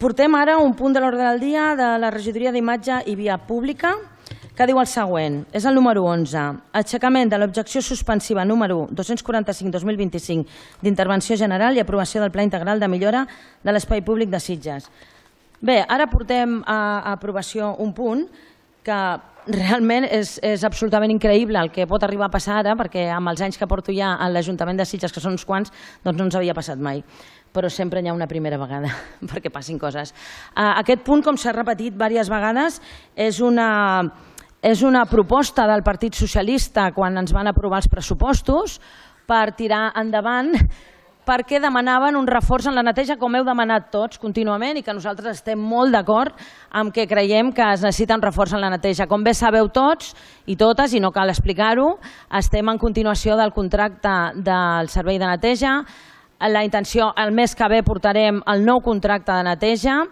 Portem ara un punt de l'ordre del dia de la Regidoria d'Imatge i Via Pública que diu el següent, és el número 11, aixecament de l'objecció suspensiva número 245-2025 d'intervenció general i aprovació del Pla Integral de Millora de l'Espai Públic de Sitges. Bé, ara portem a aprovació un punt que realment és absolutament increïble el que pot arribar a passar ara, perquè amb els anys que porto ja a l'Ajuntament de Sitges, que són uns quants, doncs no ens havia passat mai. Però sempre hi ha una primera vegada perquè passin coses. Aquest punt, com s'ha repetit diverses vegades, és una proposta del Partit Socialista quan ens van aprovar els pressupostos per tirar endavant perquè demanaven un reforç en la neteja, com heu demanat tots contínuament, i que nosaltres estem molt d'acord amb que creiem que es necessita un reforç en la neteja. Com bé sabeu tots i totes, i no cal explicar-ho, estem en continuació del contracte del servei de neteja. La intenció, el mes que ve portarem el nou contracte de neteja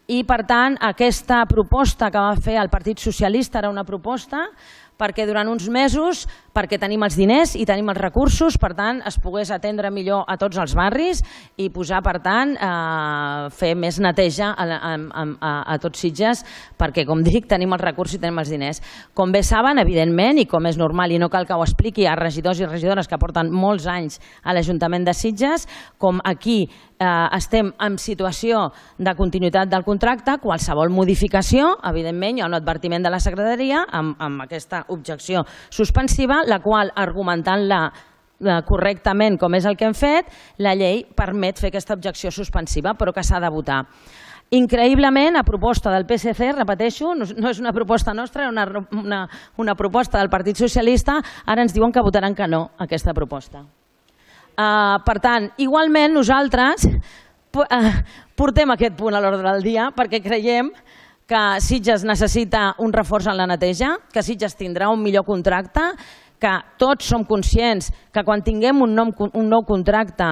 i, per tant, aquesta proposta que va fer el Partit Socialista era una proposta perquè durant uns mesos, perquè tenim els diners i tenim els recursos, per tant, es pogués atendre millor a tots els barris i posar, per tant, fer més neteja a tots Sitges, perquè, com dic, tenim els recursos i tenim els diners. Com bé saben, evidentment, i com és normal, i no cal que ho expliqui a regidors i regidores que porten molts anys a l'Ajuntament de Sitges, com aquí estem en situació de continuïtat del contracte, qualsevol modificació, evidentment, hi ha un advertiment de la secretaria amb aquesta objecció suspensiva, la qual, argumentant-la correctament com és el que hem fet, la llei permet fer aquesta objecció suspensiva, però que s'ha de votar. Increïblement, a proposta del PSC, repeteixo, no és una proposta nostra, una proposta del Partit Socialista, ara ens diuen que votaran que no a aquesta proposta. Per tant, igualment nosaltres portem aquest punt a l'ordre del dia perquè creiem que Sitges necessita un reforç en la neteja, que Sitges tindrà un millor contracte, que tots som conscients que quan tinguem un nou contracte,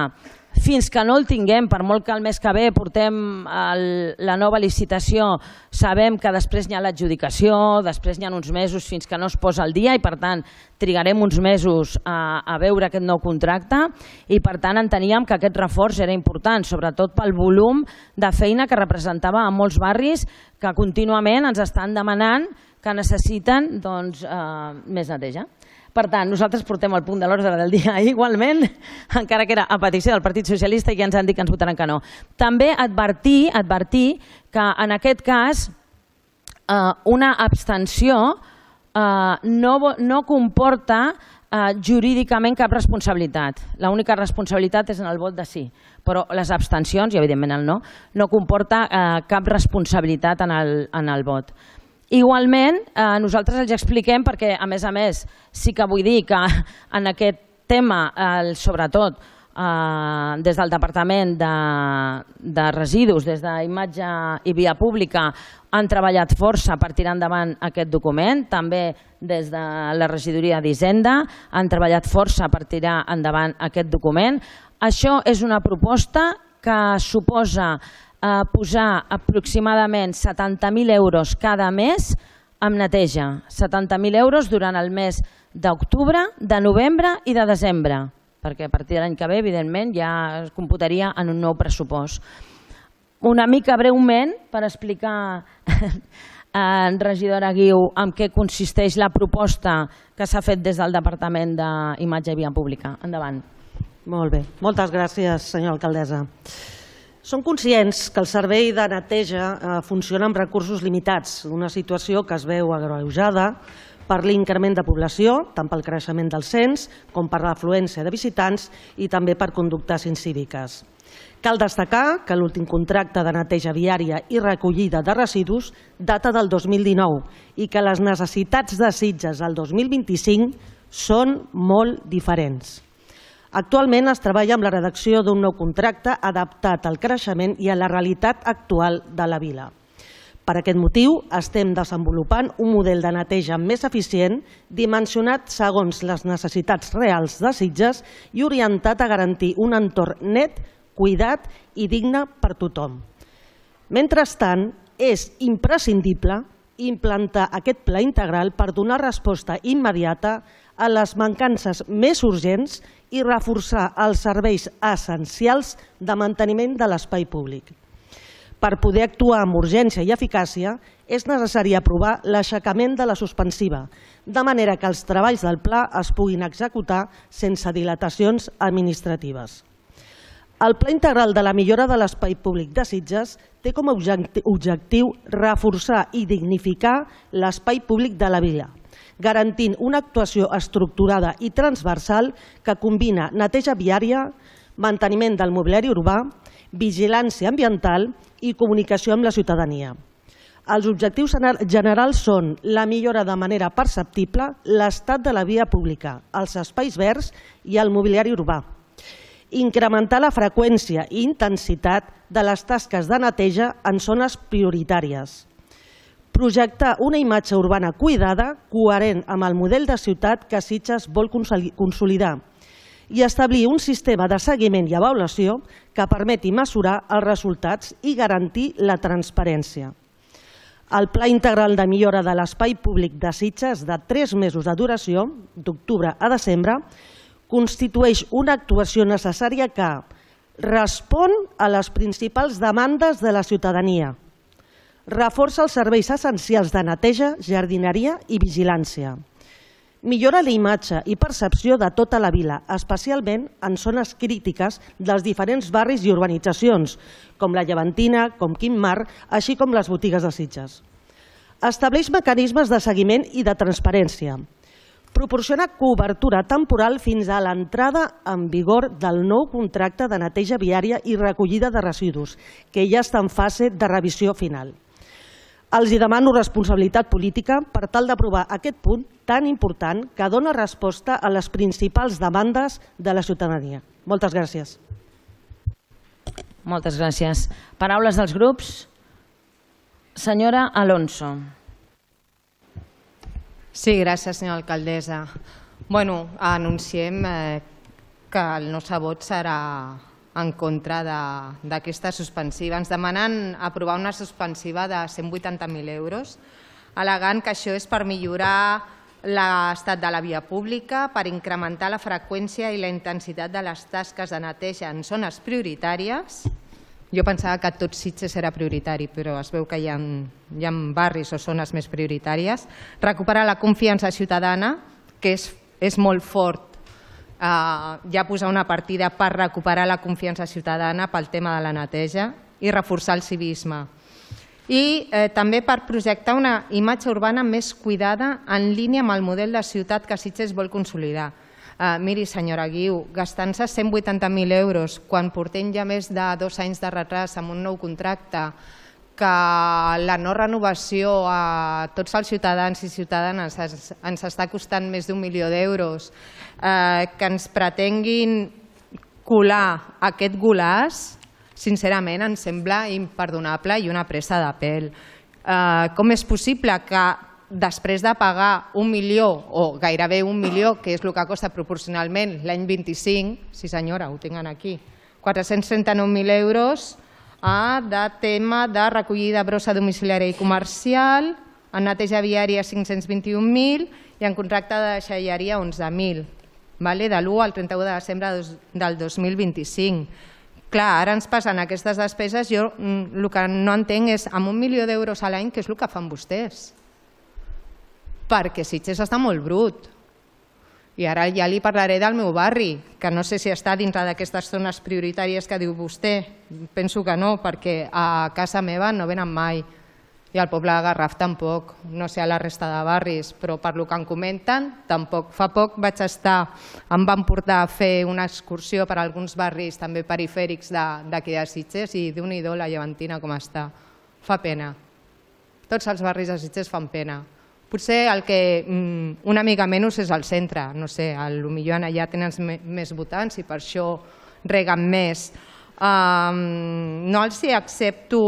fins que no el tinguem, per molt que el mes que ve portem la nova licitació, sabem que després hi ha l'adjudicació, després hi ha uns mesos fins que no es posa al dia i, per tant, trigarem uns mesos a veure aquest nou contracte i, per tant, enteníem que aquest reforç era important, sobretot pel volum de feina que representava a molts barris que contínuament ens estan demanant que necessiten més neteja. Per tant, nosaltres portem el punt de l'ordre del dia igualment, encara que era a petició del Partit Socialista i ja ens han dit que ens votaran que no. També advertir que en aquest cas una abstenció no comporta jurídicament cap responsabilitat. L'única responsabilitat és en el vot de sí, però les abstencions, i evidentment el no, no comporta cap responsabilitat en el vot. Igualment, nosaltres els expliquem perquè, a més, sí que vull dir que en aquest tema, sobretot des del Departament de Residus, des d'Imatge i Via Pública, han treballat força per tirar endavant aquest document, també des de la Regidoria d'Hisenda han treballat força per tirar endavant aquest document. Això és una proposta que suposa posar aproximadament 70.000 euros cada mes amb neteja, 70.000 euros durant el mes d'octubre, de novembre i de desembre, perquè a partir de l'any que ve, evidentment, ja es computaria en un nou pressupost. Una mica breument, per explicar, regidora Guiu, en què consisteix la proposta que s'ha fet des del Departament d'Imatge i Via Pública. Endavant. Molt bé. Moltes gràcies, senyora alcaldessa. Som conscients que el servei de neteja funciona amb recursos limitats, una situació que es veu agreujada per l'increment de població, tant pel creixement del cens com per l'afluència de visitants i també per conductes incíviques. Cal destacar que l'últim contracte de neteja viària i recollida de residus data del 2019 i que les necessitats de Sitges al 2025 són molt diferents. Actualment es treballa amb la redacció d'un nou contracte adaptat al creixement i a la realitat actual de la vila. Per aquest motiu, estem desenvolupant un model de neteja més eficient, dimensionat segons les necessitats reals de Sitges i orientat a garantir un entorn net, cuidat i digne per tothom. Mentrestant, és imprescindible implantar aquest pla integral per donar resposta immediata a les mancances més urgents i reforçar els serveis essencials de manteniment de l'espai públic. Per poder actuar amb urgència i eficàcia, és necessari aprovar l'aixecament de la suspensiva, de manera que els treballs del pla es puguin executar sense dilatacions administratives. El Pla Integral de la Millora de l'Espai Públic de Sitges té com a objectiu reforçar i dignificar l'espai públic de la vila, garantint una actuació estructurada i transversal que combina neteja viària, manteniment del mobiliari urbà, vigilància ambiental i comunicació amb la ciutadania. Els objectius generals són la millora de manera perceptible l'estat de la via pública, els espais verds i el mobiliari urbà, incrementar la freqüència i intensitat de les tasques de neteja en zones prioritàries, projectar una imatge urbana cuidada, coherent amb el model de ciutat que Sitges vol consolidar i establir un sistema de seguiment i avaluació que permeti mesurar els resultats i garantir la transparència. El Pla Integral de Millora de l'Espai Públic de Sitges de 3 mesos de duració, d'octubre a desembre, constitueix una actuació necessària que respon a les principals demandes de la ciutadania, reforça els serveis essencials de neteja, jardineria i vigilància, millora la imatge i percepció de tota la vila, especialment en zones crítiques dels diferents barris i urbanitzacions, com la Llevantina, com Quim Mar, així com les botigues de Sitges. Estableix mecanismes de seguiment i de transparència. Proporciona cobertura temporal fins a l'entrada en vigor del nou contracte de neteja viària i recollida de residus, que ja està en fase de revisió final. Els demano responsabilitat política per tal d'aprovar aquest punt tan important que dona resposta a les principals demandes de la ciutadania. Moltes gràcies. Moltes gràcies. Paraules dels grups. Senyora Alonso. Sí, gràcies, senyora alcaldessa. Bueno, anunciem que el nostre vot serà en contra d'aquesta suspensiva. Ens demanen aprovar una suspensiva de 180.000 euros, al·legant que això és per millorar l'estat de la via pública, per incrementar la freqüència i la intensitat de les tasques de neteja en zones prioritàries. Jo pensava que tot Sitges era prioritari, però es veu que hi ha barris o zones més prioritàries. Recuperar la confiança ciutadana, que és molt fort. Ja posar una partida per recuperar la confiança ciutadana pel tema de la neteja i reforçar el civisme. I també per projectar una imatge urbana més cuidada en línia amb el model de ciutat que Sitges vol consolidar. Miri, senyora Guiu, gastant-se 180.000 euros quan portem ja més de 2 anys de retras amb un nou contracte, que la no renovació a tots els ciutadans i ciutadanes ens està costant més d'1 milió d'euros, que ens pretenguin colar aquest golaç, sincerament ens sembla imperdonable i una pressa de pèl. Com és possible que després de pagar 1 milió o gairebé 1 milió, que és el que costa proporcionalment l'any 25, sí senyora, ho tinc aquí, 439.000 euros de tema de recollida brossa domiciliària i comercial, en neteja viària 521.000 i en contracte de deixalleria 11.000, de l'1 al 31 de desembre del 2025. Clar, ara ens passen aquestes despeses, jo el que no entenc és amb 1 milió d'euros a l'any què és el que fan vostès? Perquè Sitges està molt brut. I ara ja li parlaré del meu barri, que no sé si està dintre d'aquestes zones prioritàries que diu vostè. Penso que no, perquè a casa meva no venen mai. I al poble de Garraf tampoc. No sé a la resta de barris, però per lo que em comenten, tampoc. Fa poc em van portar a fer una excursió per alguns barris també perifèrics d'aquí de Sitges i Déu-n'hi-do la Llevantina com està. Fa pena. Tots els barris de Sitges fan pena. Potser el que una mica menys és el centre, no sé, potser allà tenen més votants i per això reguen més. No els accepto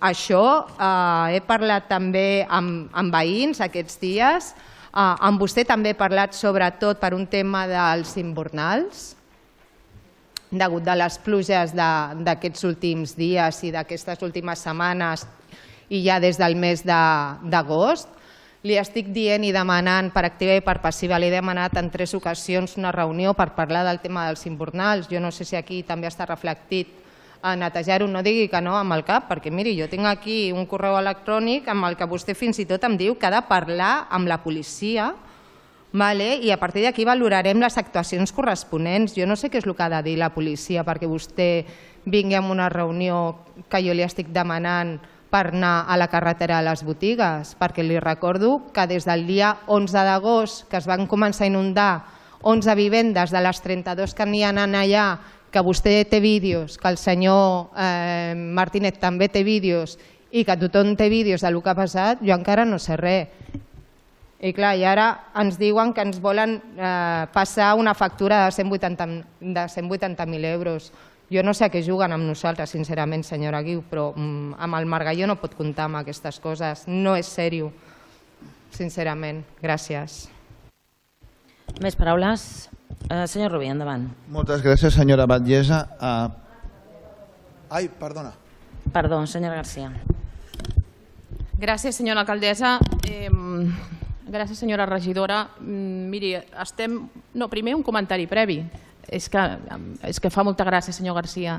això, he parlat també amb veïns aquests dies, amb vostè també he parlat sobretot per un tema dels invernals, degut a les pluges d'aquests últims dies i d'aquestes últimes setmanes i ja des del mes d'agost. Li estic dient i demanant per activa i per passiva, li he demanat en 3 ocasions una reunió per parlar del tema dels invernals. Jo no sé si aquí també està reflectit a netejar-ho, no digui que no amb el cap, perquè miri, jo tinc aquí un correu electrònic amb el que vostè fins i tot em diu que ha de parlar amb la policia i a partir d'aquí valorarem les actuacions corresponents. Jo no sé què és el que ha de dir la policia perquè vostè vingui a una reunió que jo li estic demanant per anar a la carretera de les botigues, perquè li recordo que des del dia 11 d'agost, que es van començar a inundar 11 vivendes de les 32 que n'hi ha allà, que vostè té vídeos, que el senyor Martínez també té vídeos i que tothom té vídeos del que ha passat, jo encara no sé res. I clar, i ara ens diuen que ens volen passar una factura de 180.000 euros. Jo no sé a què juguen amb nosaltres, sincerament, senyora Guiu, però amb el Margalló no pot comptar amb aquestes coses. No és seriós, sincerament. Gràcies. Més paraules? Senyor Rubí, endavant. Moltes gràcies, senyora Batllessa. Ai, perdona. Perdó, senyora Garcia. Gràcies, senyora alcaldessa. Gràcies, senyora regidora. Miri, primer un comentari previ. És que fa molta gràcia, senyor Garcia.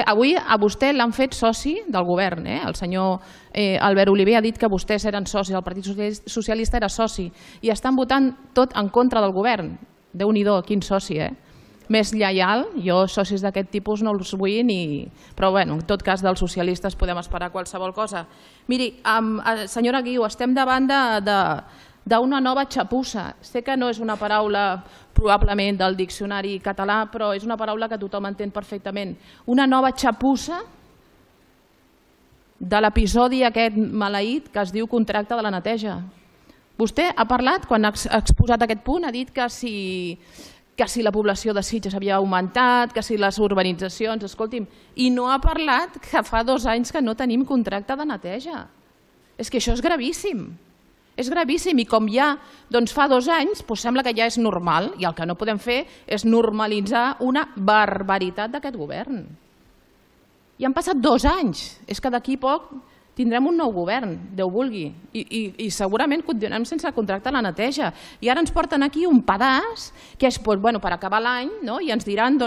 Avui a vostè l'han fet soci del govern. El senyor Albert Oliver ha dit que vostès eren socis, el Partit Socialista era soci, i estan votant tot en contra del govern. Déu-n'hi-do, quin soci, més lleial. Jo socis d'aquest tipus no els vull ni... Però en tot cas dels socialistes podem esperar qualsevol cosa. Miri, senyora Guiu, estem davant d'una nova xapussa. Sé que no és una paraula probablement del diccionari català, però és una paraula que tothom entén perfectament. Una nova xapussa de l'episodi aquest maleït que es diu contracte de la neteja. Vostè ha parlat, quan ha exposat aquest punt, ha dit que si la població de Sitges havia augmentat, que si les urbanitzacions, escolti'm, i no ha parlat que fa 2 anys que no tenim contracte de neteja. És que això és gravíssim. És gravíssim i com ja fa 2 anys sembla que ja és normal i el que no podem fer és normalitzar una barbaritat d'aquest govern. I han passat 2 anys, és que d'aquí poc tindrem un nou govern, Déu vulgui, i segurament continuarem sense contracte a la neteja. I ara ens porten aquí un pedaç que és per acabar l'any i ens diran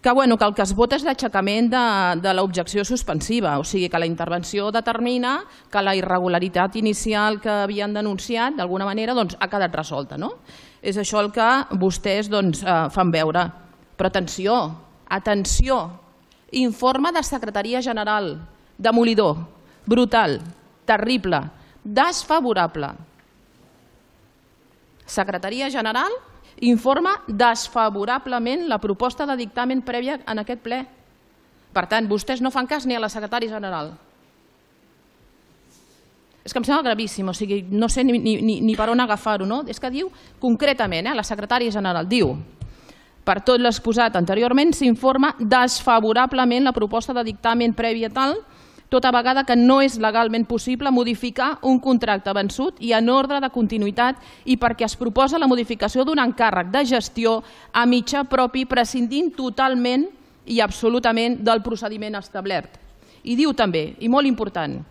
que el que es vota és l'aixecament de l'objecció suspensiva, o sigui que la intervenció determina que la irregularitat inicial que havien denunciat d'alguna manera ha quedat resolta. És això el que vostès fan veure. Però atenció, informe de Secretaria General, demolidor, brutal, terrible, desfavorable. Secretaria General informa desfavorablement la proposta de dictamen prèvia en aquest ple. Per tant, vostès no fan cas ni a la secretària general. És que em sembla gravíssim, o sigui, no sé ni per on agafar-ho. És que diu concretament, la secretària general diu: per tot l'exposat anteriorment s'informa desfavorablement la proposta de dictamen prèvia tal, tota vegada que no és legalment possible modificar un contracte vençut i en ordre de continuïtat i perquè es proposa la modificació d'un encàrrec de gestió a mitjà propi prescindint totalment i absolutament del procediment establert. I diu també, i molt important,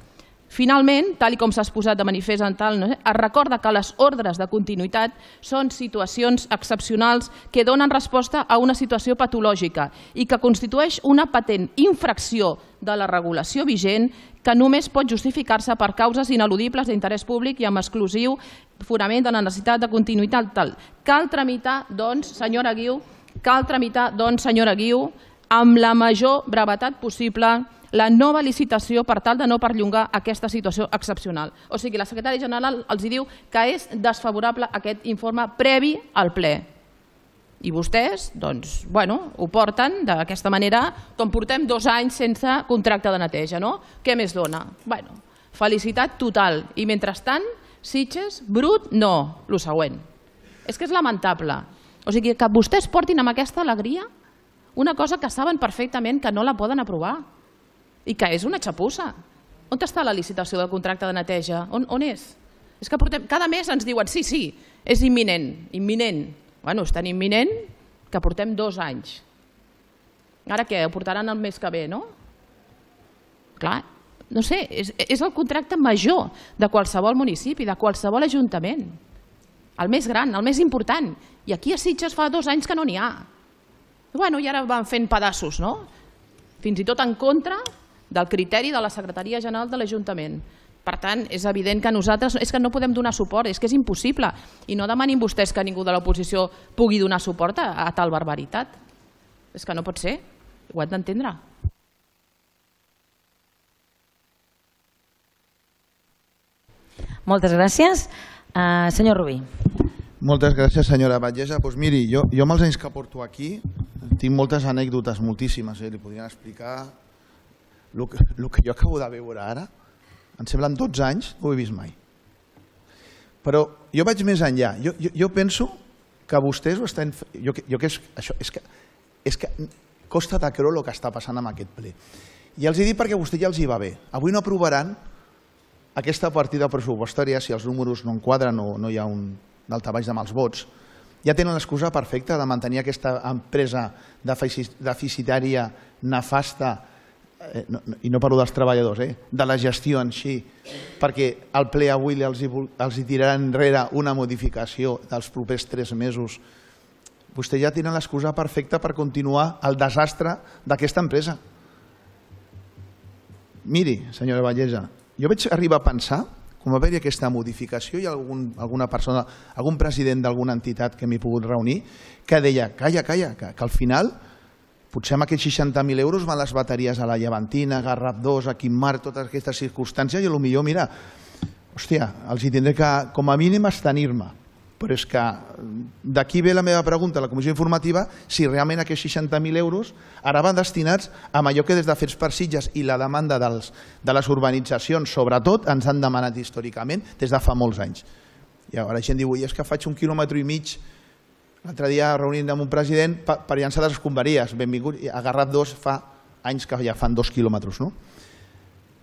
finalment, tal com s'ha exposat de manifest en tal, es recorda que les ordres de continuïtat són situacions excepcionals que donen resposta a una situació patològica i que constitueix una patent infracció de la regulació vigent que només pot justificar-se per causes ineludibles d'interès públic i amb exclusiu fonament de la necessitat de continuïtat tal. Cal tramitar, doncs, senyora Guiu, amb la major brevetat possible la nova licitació per tal de no perllongar aquesta situació excepcional. O sigui, la secretària general els diu que és desfavorable aquest informe previ al ple. I vostès, doncs, ho porten d'aquesta manera, com portem 2 anys sense contracte de neteja, no? Què més dona? Felicitat total. I mentrestant, Sitges, brut, no, el següent. És que és lamentable. O sigui, que vostès portin amb aquesta alegria una cosa que saben perfectament que no la poden aprovar. I que és una xapussa. On està la licitació del contracte de neteja? On és? És que cada mes ens diuen sí, és imminent. És tan imminent que portem 2 anys. Ara què? Ho portaran el mes que ve, no? Clar, no sé, és el contracte major de qualsevol municipi, de qualsevol ajuntament. El més gran, el més important. I aquí a Sitges fa 2 anys que no n'hi ha. Bueno, i ara van fent pedaços, no? Fins i tot en contra del criteri de la Secretaria General de l'Ajuntament. Per tant, és evident que nosaltres és que no podem donar suport, és que és impossible. I no demanin vostès que ningú de l'oposició pugui donar suport a tal barbaritat. És que no pot ser, ho hem d'entendre. Moltes gràcies. Senyor Rubí. Moltes gràcies, senyora Batllessa. Doncs miri, jo amb els anys que porto aquí tinc moltes anècdotes, moltíssimes. Li podrien explicar el que jo acabo de veure ara. Em semblen 12 anys, no ho he vist mai. Però jo vaig més enllà. Jo penso que vostès ho estan... És que costa de creure el que està passant amb aquest ple. I els hi dic perquè a vostè ja els hi va bé. Avui no aprovaran aquesta partida pressupostària si els números no enquadren o no hi ha un daltabaix de mals vots. Ja tenen l'excusa perfecta de mantenir aquesta empresa deficitària, nefasta, i no parlo dels treballadors, de la gestió en si, perquè al ple avui els tirarà enrere una modificació dels propers 3 mesos. Vostè ja tenen l'excusa perfecta per continuar el desastre d'aquesta empresa. Miri, senyora Batllessa, jo vaig arribar a pensar, quan va haver-hi aquesta modificació, hi ha alguna persona, algun president d'alguna entitat que m'hi he pogut reunir, que deia, calla, que al final potser amb aquests 60.000 euros van les bateries a la Llevantina, Garraf 2, a Quimar, totes aquestes circumstàncies, i potser, mira, hòstia, els hi tindré que, com a mínim, estenir-me. Però és que d'aquí ve la meva pregunta a la comissió informativa, si realment aquests 60.000 euros ara van destinats a allò que des de Fets per Sitges i la demanda de les urbanitzacions, sobretot, ens han demanat històricament des de fa molts anys. I ara la gent diu, és que faig 1,5 quilòmetres, l'altre dia reunint amb un president per llançar les escombraries, benvingut, a Garraf 2 fa anys que ja fan 2 quilòmetres, no?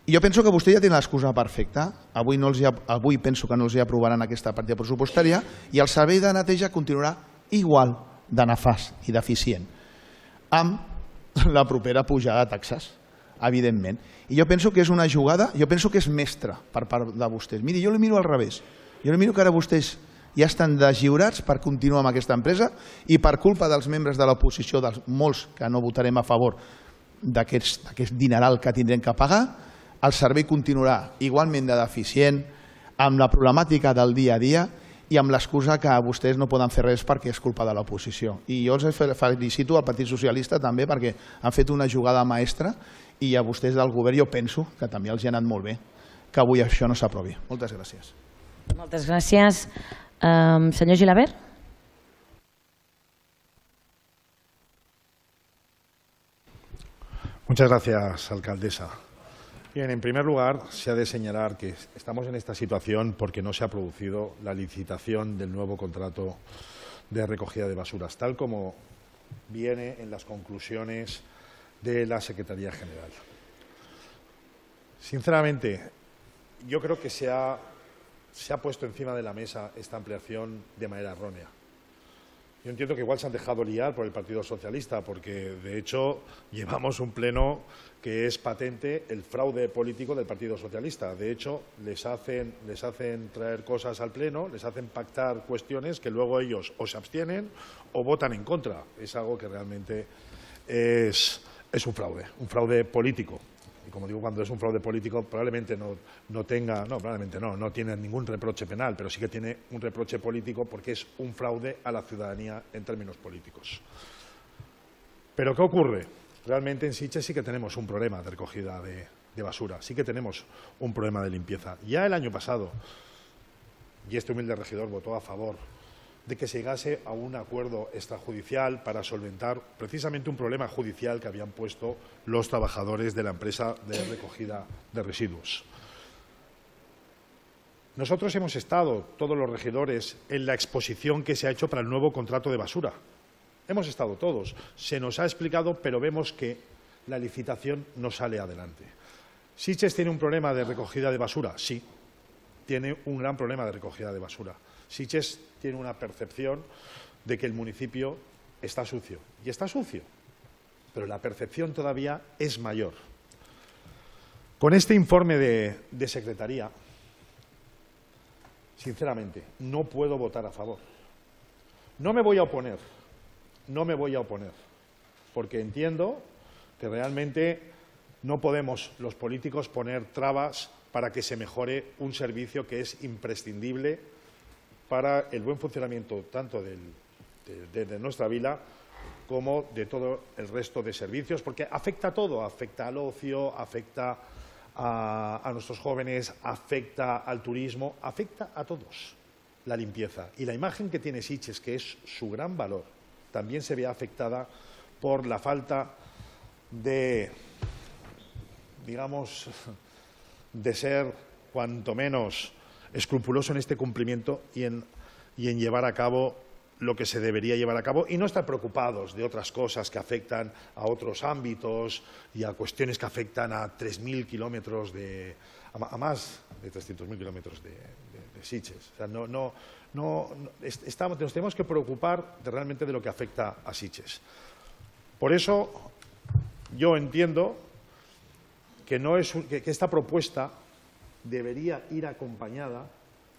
I jo penso que vostè ja té l'excusa perfecta. Avui penso que no els aprovaran aquesta partida pressupostària i el servei de neteja continuarà igual de nefast i deficient amb la propera pujada de taxes, evidentment. I jo penso que és una jugada, jo penso que és mestra per part de vostès. Miri, jo li miro al revés. Jo li miro que ara vostès ja estan deslliurats per continuar amb aquesta empresa i per culpa dels membres de l'oposició, dels molts que no votarem a favor d'aquest dineral que tindrem que pagar, el servei continuarà igualment de deficient, amb la problemàtica del dia a dia i amb l'excusa que vostès no poden fer res perquè és culpa de l'oposició. I jo els felicito al Partit Socialista també perquè han fet una jugada maestra i a vostès del govern jo penso que també els ha anat molt bé que avui això no s'aprovi. Moltes gràcies. Moltes gràcies. Senyor Gilabert. Muchas gracias, alcaldesa. Bien, en primer lugar, se ha de señalar que estamos en esta situación porque no se ha producido la licitación del nuevo contrato de recogida de basuras, tal como viene en las conclusiones de la Secretaría General. Sinceramente, yo creo que se ha puesto encima de la mesa esta ampliación de manera errónea. Yo entiendo que igual se han dejado liar por el Partido Socialista, porque de hecho llevamos un pleno que es patente el fraude político del Partido Socialista. De hecho, les hacen traer cosas al pleno, les hacen pactar cuestiones que luego ellos o se abstienen o votan en contra. Es algo que realmente es un fraude político. Y como digo, cuando es un fraude político probablemente no tiene ningún reproche penal, pero sí que tiene un reproche político porque es un fraude a la ciudadanía en términos políticos. ¿Pero qué ocurre? Realmente en Sitges sí que tenemos un problema de recogida de basura, sí que tenemos un problema de limpieza. Ya el año pasado, y este humilde regidor votó a favor de que se llegase a un acuerdo extrajudicial para solventar precisamente un problema judicial que habían puesto los trabajadores de la empresa de recogida de residuos. Nosotros hemos estado, todos los regidores, en la exposición que se ha hecho para el nuevo contrato de basura. Hemos estado todos. Se nos ha explicado, pero vemos que la licitación no sale adelante. ¿Sitges tiene un problema de recogida de basura? Sí, tiene un gran problema de recogida de basura. Sitges tiene una percepción de que el municipio está sucio. Y está sucio, pero la percepción todavía es mayor. Con este informe de Secretaría, sinceramente, no puedo votar a favor. No me voy a oponer, porque entiendo que realmente no podemos los políticos poner trabas para que se mejore un servicio que es imprescindible para el buen funcionamiento tanto de nuestra vila como de todo el resto de servicios, porque afecta a todo, afecta al ocio, afecta a nuestros jóvenes, afecta al turismo, afecta a todos la limpieza. Y la imagen que tiene Sitges, que es su gran valor, también se ve afectada por la falta de, digamos, de ser cuanto menos escrupuloso en este cumplimiento y en llevar a cabo lo que se debería llevar a cabo y no estar preocupados de otras cosas que afectan a otros ámbitos y a cuestiones que afectan a 3.000 kilómetros a más de 300.000 kilómetros de Sitges. O sea, nos tenemos que preocupar realmente de lo que afecta a Sitges. Por eso yo entiendo que esta propuesta debería ir acompañada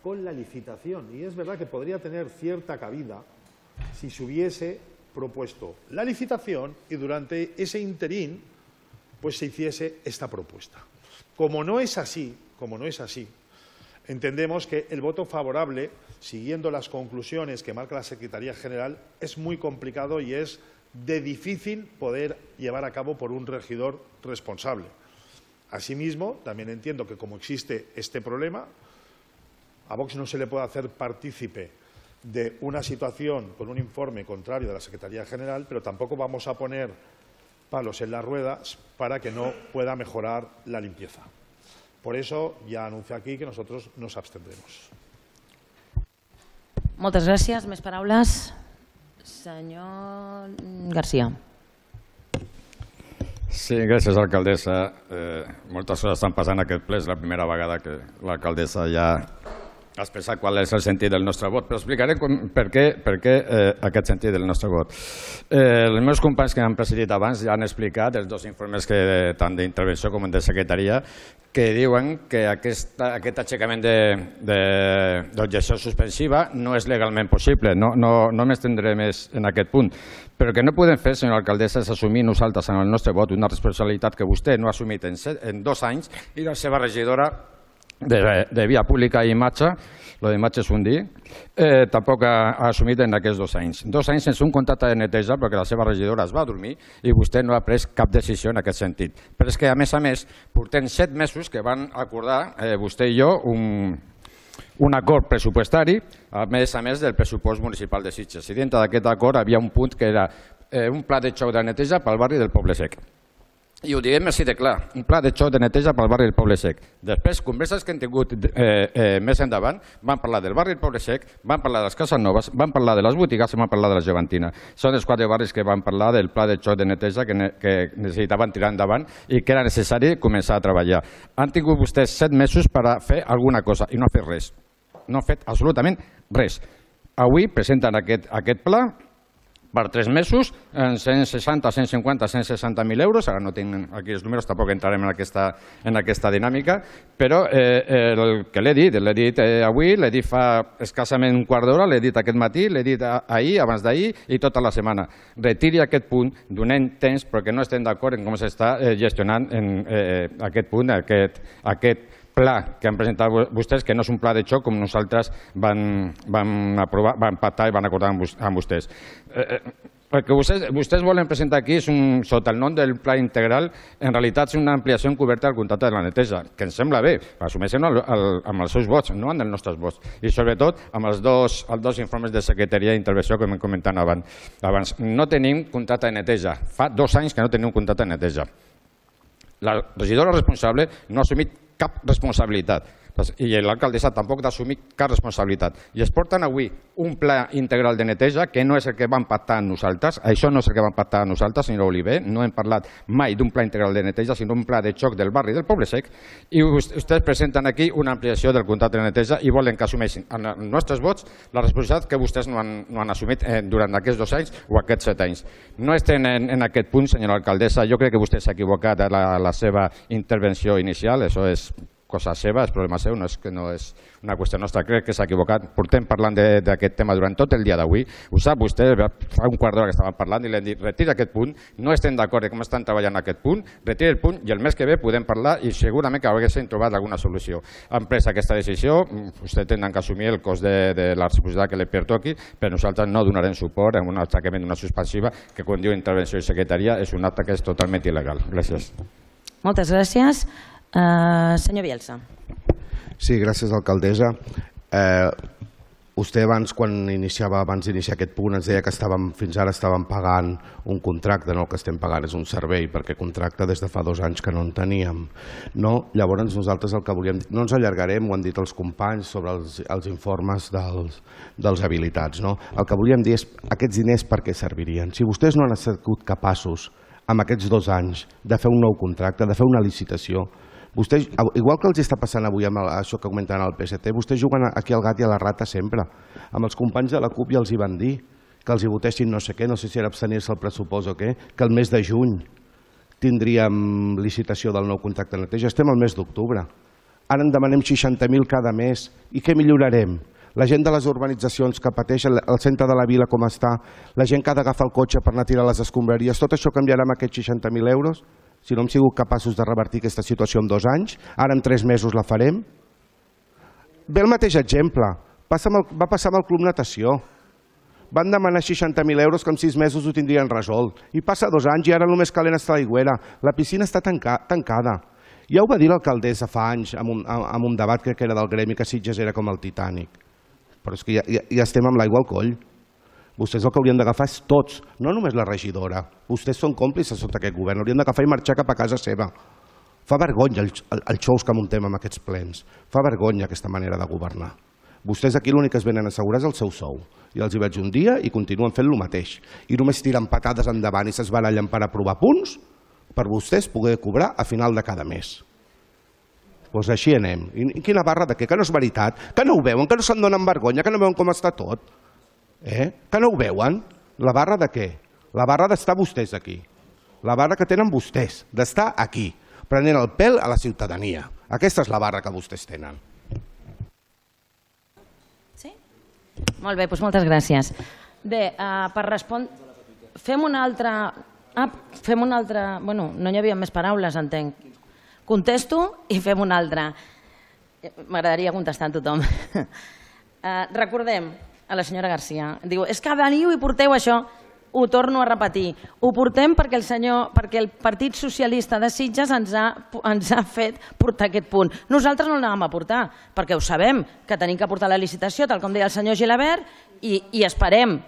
con la licitación. Y es verdad que podría tener cierta cabida si se hubiese propuesto la licitación y durante ese interín pues se hiciese esta propuesta. Como no es así, entendemos que el voto favorable, siguiendo las conclusiones que marca la Secretaría General, es muy complicado y es de difícil poder llevar a cabo por un regidor responsable. Asimismo, también entiendo que como existe este problema, a Vox no se le puede hacer partícipe de una situación con un informe contrario de la Secretaría General, pero tampoco vamos a poner palos en las ruedas para que no pueda mejorar la limpieza. Por eso ja anuncio aquí que nosotros nos abstendremos. Moltes gràcies. Més paraules? Senyor García. Sí, gràcies, alcaldessa. Moltes coses estan passant en aquest ple. És la primera vegada que l'alcaldessa ja ha expressat qual és el sentit del nostre vot, però explicaré per què aquest sentit del nostre vot. Els meus companys que m'han precedit abans ja han explicat els dos informes tant d'intervenció com de secretaria que diuen que aquest aixecament d'objecció suspensiva no és legalment possible. No m'estendré més en aquest punt. Però el que no podem fer, senyora alcaldessa, és assumir nosaltres en el nostre vot una responsabilitat que vostè no ha assumit en 2 anys i la seva regidora de Via Pública i Imatge, lo d'imatge és un dir, tampoc ha assumit en aquests 2 anys. 2 anys sense un contracte de neteja perquè la seva regidora es va dormir i vostè no ha pres cap decisió en aquest sentit. Però és que, a més, portem 7 mesos que van acordar vostè i jo un acord pressupostari, a més del pressupost municipal de Sitges. I dintre d'aquest acord hi havia un punt que era un pla de xoc de neteja pel barri del Poble Sec. I ho diguem així de clar, un pla de xoc de neteja pel barri del Poble Sec. Després, converses que hem tingut més endavant, van parlar del barri del Poble Sec, van parlar de les cases noves, van parlar de les botigues i van parlar de la Joventina. Són els 4 barris que van parlar del pla de xoc de neteja que necessitaven tirar endavant i que era necessari començar a treballar. Han tingut vostès 7 mesos per a fer alguna cosa i no ha fet res. No ha fet absolutament res. Avui presenten aquest pla per 3 mesos, en 160, 150, 160.000 euros, ara no tinc aquí els números, tampoc entrarem en aquesta dinàmica, però el que l'he dit avui, l'he dit fa escassament un quart d'hora, l'he dit aquest matí, l'he dit ahir, abans d'ahir i tota la setmana. Retiri aquest punt, donem temps, perquè no estem d'acord en com s'està gestionant aquest punt, aquest pla que han presentat vostès, que no és un pla de xoc com nosaltres van pactar i van acordar amb vostès. El que vostès volen presentar aquí és sota el nom del pla integral, en realitat és una ampliació encoberta del contracte de la neteja, que ens sembla bé, assumeixen amb els seus vots, no amb els nostres vots, i sobretot amb els dos informes de secretaria d'intervenció que m'hem comentat abans. No tenim contracte de neteja, fa 2 anys que no tenim un contracte de neteja. La regidora responsable no ha assumit cap responsabilitat i l'alcaldessa tampoc ha d'assumir cap responsabilitat. I es porten avui un pla integral de neteja que no és el que vam pactar amb nosaltres, això no és el que vam pactar amb nosaltres, senyora Oliver, no hem parlat mai d'un pla integral de neteja, sinó un pla de xoc del barri del Poble Sec, i vostès presenten aquí una ampliació del contracte de neteja i volen que assumeixin en els nostres vots la responsabilitat que vostès no han assumit durant aquests 2 anys o aquests 7 anys. No estem en aquest punt, senyora alcaldessa, jo crec que vostè s'ha equivocat a la seva intervenció inicial, això és cosa seva, és problema seu, no és una qüestió nostra. Crec que s'ha equivocat. Portem parlant d'aquest tema durant tot el dia d'avui. Ho sap vostè, fa un quart d'hora que estàvem parlant i li hem dit retira aquest punt, no estem d'acord com estan treballant aquest punt, retira el punt i el mes que ve podem parlar i segurament que haguéssim trobat alguna solució. Han pres aquesta decisió, vostè tenen que assumir el cost de la responsabilitat que li pertoqui, però nosaltres no donarem suport a un atracament d'una suspensiva que, quan diu intervenció i secretaria, és un acte que és totalment il·legal. Gràcies. Moltes gràcies. Senyor Bielsa. Sí, gràcies, alcaldessa. Vostè abans, quan iniciava aquest punt, ens deia que fins ara estàvem pagant un contracte, no el que estem pagant és un servei, perquè contracte des de fa 2 anys que no en teníem. Llavors nosaltres el que volíem dir, no ens allargarem, ho han dit els companys, sobre els informes dels habilitats. El que volíem dir és aquests diners per què servirien. Si vostès no han estat capaços, amb aquests 2 anys, de fer un nou contracte, de fer una licitació, vostès, igual que els està passant avui amb això que comentaven al PSC, vostès juguen aquí al gat i a la rata sempre. Amb els companys de la CUP ja els hi van dir que els hi votessin no sé què, no sé si era abstenir-se al pressupost o què, que el mes de juny tindríem licitació del nou contracte de neteja. Estem al mes d'octubre. Ara en demanem 60.000 cada mes. I què millorarem? La gent de les urbanitzacions que pateixen, el centre de la vila com està, la gent que ha d'agafar el cotxe per anar a tirar les escombraries, tot això canviarà amb aquests 60.000 euros? Si no hem sigut capaços de revertir aquesta situació en 2 anys, ara en 3 mesos la farem? Ve el mateix exemple. Va passar amb el Club Natació. Van demanar 60.000 euros que en 6 mesos ho tindrien resolt. I passa 2 anys i ara només calent està l'aigüera. La piscina està tancada. Ja ho va dir l'alcaldessa fa anys en un debat que era del gremi, que Sitges era com el Titànic. Però és que ja estem amb l'aigua al coll. Vostès el que haurien d'agafar és tots, no només la regidora. Vostès són còmplices sota aquest govern, haurien d'agafar i marxar cap a casa seva. Fa vergonya els xous que muntem amb aquests plens. Fa vergonya aquesta manera de governar. Vostès aquí l'únic que es venen a assegurar és el seu sou. I els hi veig un dia i continuen fent el mateix. I només tiren patades endavant i s'esbarallen per aprovar punts per vostès poder cobrar a final de cada mes. Doncs així anem. I quina barra de què? Que no és veritat? Que no ho veuen? Que no se'n donen vergonya? Que no veuen com està tot? Que no ho veuen? La barra de què? La barra d'estar vostès aquí. La barra que tenen vostès, d'estar aquí, prenent el pèl a la ciutadania. Aquesta és la barra que vostès tenen. Sí? Molt bé, doncs moltes gràcies. Bé, per respondre... Fem una altra... Bueno, no hi havia més paraules, entenc. Contesto i fem una altra. M'agradaria contestar a tothom. Recordem a la senyora Garcia. Diu, és que veniu i porteu això. Ho torno a repetir. Ho portem perquè el Partit Socialista de Sitges ens ha fet portar aquest punt. Nosaltres no l'anàvem a portar, perquè ho sabem, que tenim que portar la licitació, tal com deia el senyor Gilabert, i esperem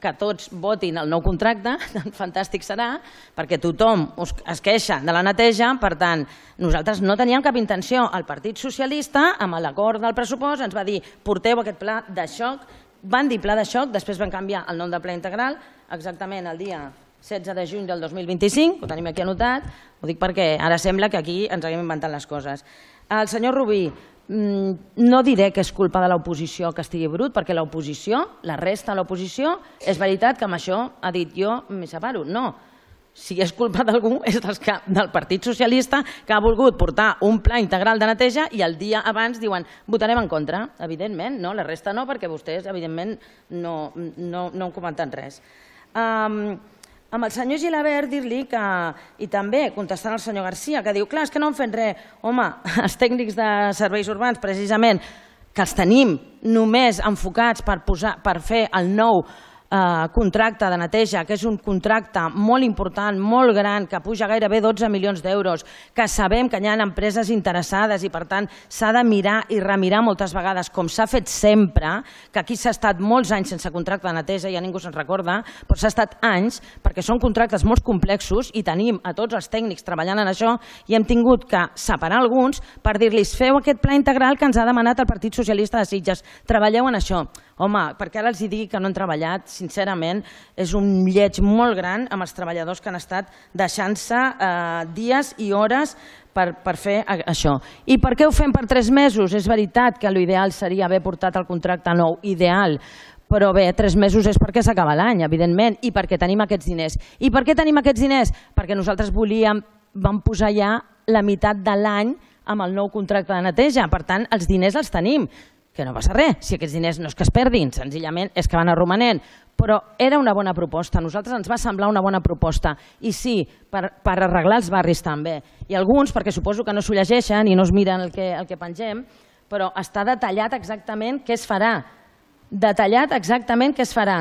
que tots votin el nou contracte, tan fantàstic serà, perquè tothom es queixa de la neteja. Per tant, nosaltres no teníem cap intenció. El Partit Socialista, amb l'acord del pressupost, ens va dir porteu aquest pla de xoc. Van dir pla de xoc, després van canviar el nom de pla integral, exactament el dia 16 de juny del 2025, ho tenim aquí anotat, ho dic perquè ara sembla que aquí ens haguem inventat les coses. El senyor Rubí, no diré que és culpa de l'oposició que estigui brut, perquè l'oposició, la resta de l'oposició, és veritat que amb això ha dit jo m'hi separo. No, si és culpa d'algú és del Partit Socialista, que ha volgut portar un pla integral de neteja i el dia abans diuen votarem en contra. Evidentment, no, la resta no, perquè vostès evidentment no han comentat res. Amb el senyor Gilabert dir-li que, i també contestant al senyor Garcia, que diu, clar, és que no han fet res. Home, els tècnics de serveis urbans, precisament, que els tenim només enfocats per fer el nou contracte de neteja, que és un contracte molt important, molt gran, que puja gairebé 12 milions d'euros, que sabem que hi ha empreses interessades i per tant s'ha de mirar i remirar moltes vegades, com s'ha fet sempre, que aquí s'ha estat molts anys sense contracte de neteja, ja ningú se'n recorda, però s'ha estat anys, perquè són contractes molt complexos i tenim a tots els tècnics treballant en això i hem tingut que separar alguns per dir-los feu aquest pla integral que ens ha demanat el Partit Socialista de Sitges, treballeu en això. Home, perquè ara els digui que no han treballat, sincerament, és un lleig molt gran amb els treballadors que han estat deixant-se dies i hores per fer això. I per què ho fem per 3 mesos? És veritat que l'ideal seria haver portat el contracte nou, ideal, però bé, 3 mesos és perquè s'acaba l'any, evidentment, i perquè tenim aquests diners. I per què tenim aquests diners? Perquè nosaltres vam posar ja la meitat de l'any amb el nou contracte de neteja. Per tant, els diners els tenim, que no passa res. Si aquests diners no és que es perdin, senzillament és que van a romanent. Però era una bona proposta. A nosaltres ens va semblar una bona proposta. I sí, per arreglar els barris també. I alguns, perquè suposo que no s'ho llegeixen i no es miren el que pengem, però està detallat exactament què es farà. Detallat exactament què es farà.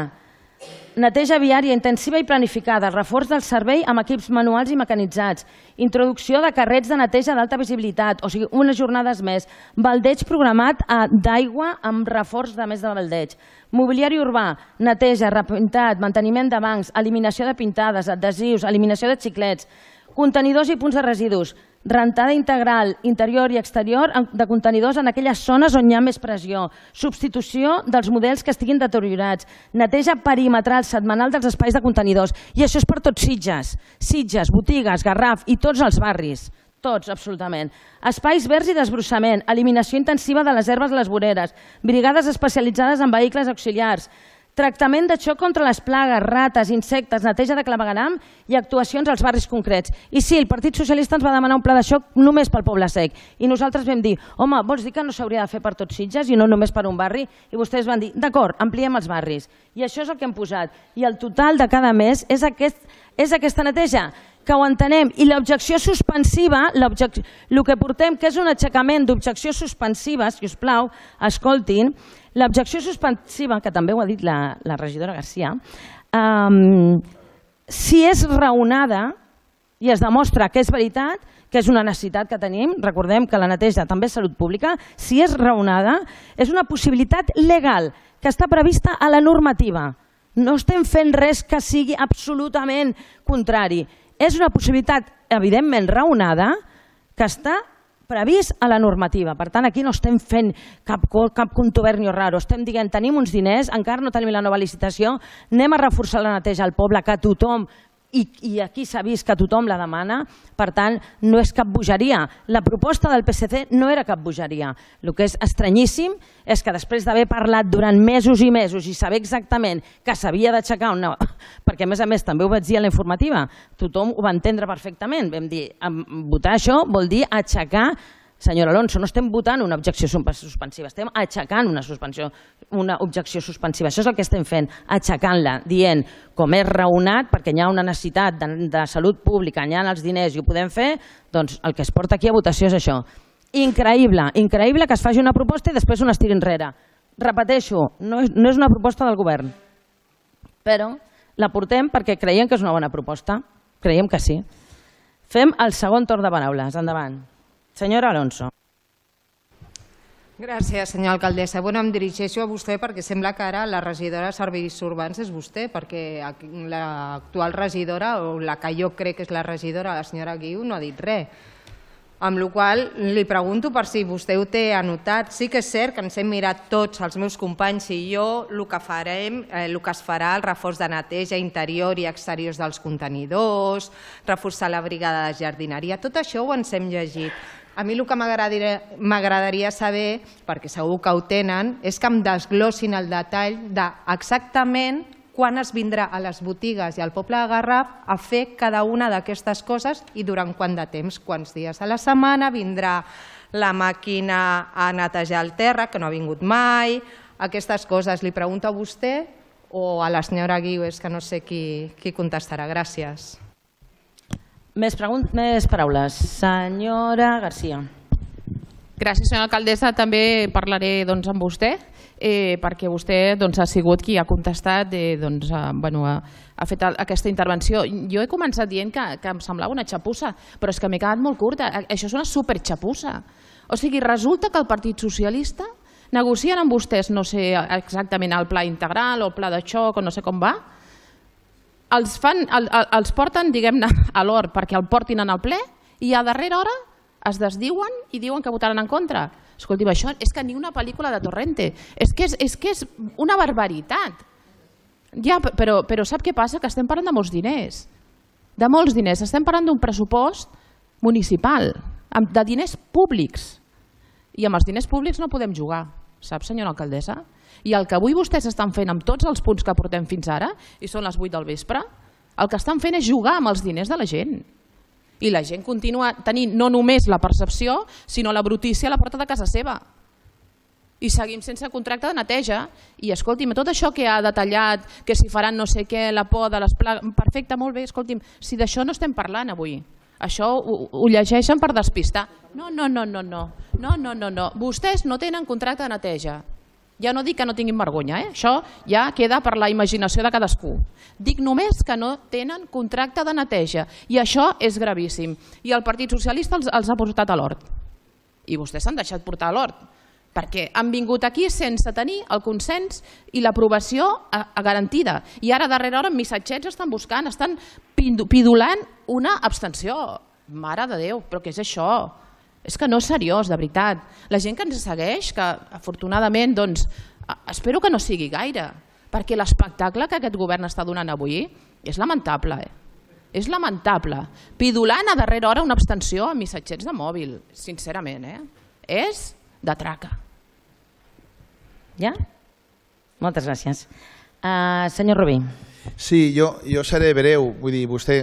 Neteja viària intensiva i planificada, reforç del servei amb equips manuals i mecanitzats, introducció de carrets de neteja d'alta visibilitat, o sigui, unes jornades més, baldeig programat d'aigua amb reforç de més de baldeig, mobiliari urbà, neteja, repintat, manteniment de bancs, eliminació de pintades, adhesius, eliminació de xiclets, contenidors i punts de residus, rentada integral, interior i exterior de contenidors en aquelles zones on hi ha més pressió, substitució dels models que estiguin deteriorats, neteja perimetral setmanal dels espais de contenidors. I això és per tots Sitges. Sitges, Botigues, Garraf i tots els barris. Tots, absolutament. Espais verds i desbrossament, eliminació intensiva de les herbes a les voreres, brigades especialitzades en vehicles auxiliars, tractament de xoc contra les plagues, rates, insectes, neteja de clavegueram i actuacions als barris concrets. I sí, el Partit Socialista ens va demanar un pla de xoc només pel Poble Sec. I nosaltres vam dir, home, vols dir que no s'hauria de fer per tots Sitges i no només per un barri? I vostès van dir, d'acord, ampliem els barris. I això és el que hem posat. I el total de cada mes és aquesta neteja, que ho entenem. I l'objecció suspensiva, el que portem, que és un aixecament d'objecció suspensiva, si us plau, escoltin, l'objecció suspensiva, que també ho ha dit la regidora Garcia, si és raonada i es demostra que és veritat, que és una necessitat que tenim, recordem que la neteja també és salut pública, si és raonada, és una possibilitat legal que està prevista a la normativa. No estem fent res que sigui absolutament contrari. És una possibilitat, evidentment, raonada, que està previst a la normativa. Per tant, aquí no estem fent cap contubernio raro. Estem dient, tenim uns diners, encara no tenim la nova licitació, anem a reforçar la neteja al poble, que tothom, i aquí s'ha vist que tothom la demana, per tant, no és cap bogeria. La proposta del PSC no era cap bogeria. El que és estranyíssim és que després d'haver parlat durant mesos i mesos i saber exactament que s'havia d'aixecar una... Perquè, a més, també ho vaig dir a la informativa, tothom ho va entendre perfectament. Vam dir, votar això vol dir aixecar... Senyor Alonso, no estem votant una objecció suspensiva, estem aixecant una objecció suspensiva. Això és el que estem fent, aixecant-la, dient, com és raonat, perquè hi ha una necessitat de salut pública, hi ha els diners i ho podem fer, doncs el que es porta aquí a votació és això. Increïble, increïble que es faci una proposta i després una es tiri enrere. Repeteixo, no és una proposta del govern, però la portem perquè creiem que és una bona proposta, creiem que sí. Fem el segon torn de paraules, endavant. Senyora Alonso. Gràcies, senyora alcaldessa. Em dirigeixo a vostè perquè sembla que ara la regidora de Serveis Urbans és vostè, perquè l'actual regidora, o la que jo crec que és la regidora, la senyora Guiu, no ha dit res. Amb la qual cosa li pregunto per si vostè ho té anotat. Sí que és cert que ens hem mirat tots, els meus companys i jo, el que es farà, el reforç de neteja interior i exteriors dels contenidors, reforçar la brigada de jardineria, tot això ho ens hem llegit. A mi el que m'agradaria saber, perquè segur que ho tenen, és que em desglossin el detall d'exactament quan es vindrà a les botigues i al poble de Garraf a fer cada una d'aquestes coses i durant quant de temps, quants dies a la setmana vindrà la màquina a netejar el terra, que no ha vingut mai, aquestes coses. Li pregunto a vostè o a la senyora Guiu, és que no sé qui contestarà. Gràcies. Més paraules. Senyora Garcia. Gràcies, senyora alcaldessa. També parlaré amb vostè, perquè vostè ha sigut qui ha contestat, ha fet aquesta intervenció. Jo he començat dient que em semblava una xapussa, però és que m'he quedat molt curta. Això és una superxapussa. O sigui, resulta que el Partit Socialista negocien amb vostès, no sé exactament el pla integral o el pla de xoc o no sé com va, els porten, diguem-ne, a l'or perquè el portin en el ple i a darrera hora es desdiuen i diuen que votaran en contra. Escolti'm, això és que ni una pel·lícula de Torrente. És que és una barbaritat. Ja, però sap què passa? Que estem parlant de molts diners. De molts diners. Estem parlant d'un pressupost municipal, de diners públics. I amb els diners públics no podem jugar, sap, senyora alcaldessa? I el que avui vostès estan fent amb tots els punts que portem fins ara, i són les 8 del vespre, el que estan fent és jugar amb els diners de la gent. I la gent continua tenint no només la percepció, sinó la brutícia a la porta de casa seva. I seguim sense contracte de neteja. I escolti'm, tot això que ha detallat, que si faran no sé què, la por de les plagues... Perfecte, molt bé, escolti'm, si d'això no estem parlant avui. Això ho llegeixen per despistar. No. Vostès no tenen contracte de neteja. Ja no dic que no tinguin vergonya, això ja queda per la imaginació de cadascú. Dic només que no tenen contracte de neteja i això és gravíssim. I el Partit Socialista els ha portat a l'hort. I vostès s'han deixat portar a l'hort perquè han vingut aquí sense tenir el consens i l'aprovació garantida. I ara, a darrera hora, en missatgets estan buscant, estan pidolant una abstenció. Mare de Déu, però què és això? És que no és seriós, de veritat. La gent que ens segueix, que afortunadament, doncs, espero que no sigui gaire, perquè l'espectacle que aquest govern està donant avui és lamentable. És lamentable. Pidolant a darrera hora una abstenció a missatgets de mòbil, sincerament. És de traca. Ja? Moltes gràcies. Senyor Rubí. Sí, jo seré breu. Vull dir, vostè,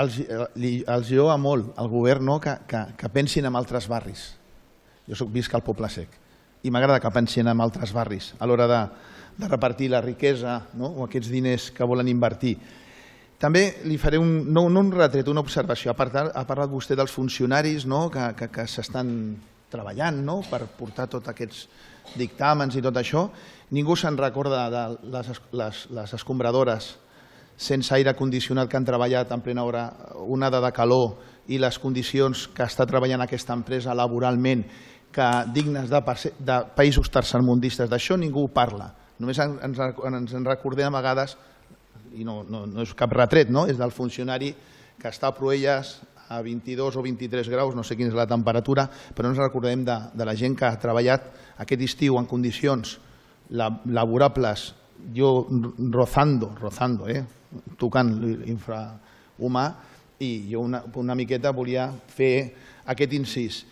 els lloa molt al govern que pensin en altres barris. Jo visc al Poble Sec i m'agrada que pensin en altres barris a l'hora de repartir la riquesa o aquests diners que volen invertir. També li faré no un retret, una observació. Ha parlat vostè dels funcionaris que s'estan treballant per portar tots aquests dictàmens i tot això. Ningú se'n recorda de les escombradores sense aire condicionat que han treballat en plena onada de calor i les condicions que està treballant aquesta empresa laboralment dignes de països tercermundistes. D'això ningú parla. Només ens en recordem a vegades, i no és cap retret, és del funcionari que està a Proelles a 22 o 23 graus, no sé quina és la temperatura, però no ens recordem de la gent que ha treballat aquest estiu en condicions laborables, jo rozando, tocant l'infrahumà, i jo una miqueta volia fer aquest incís.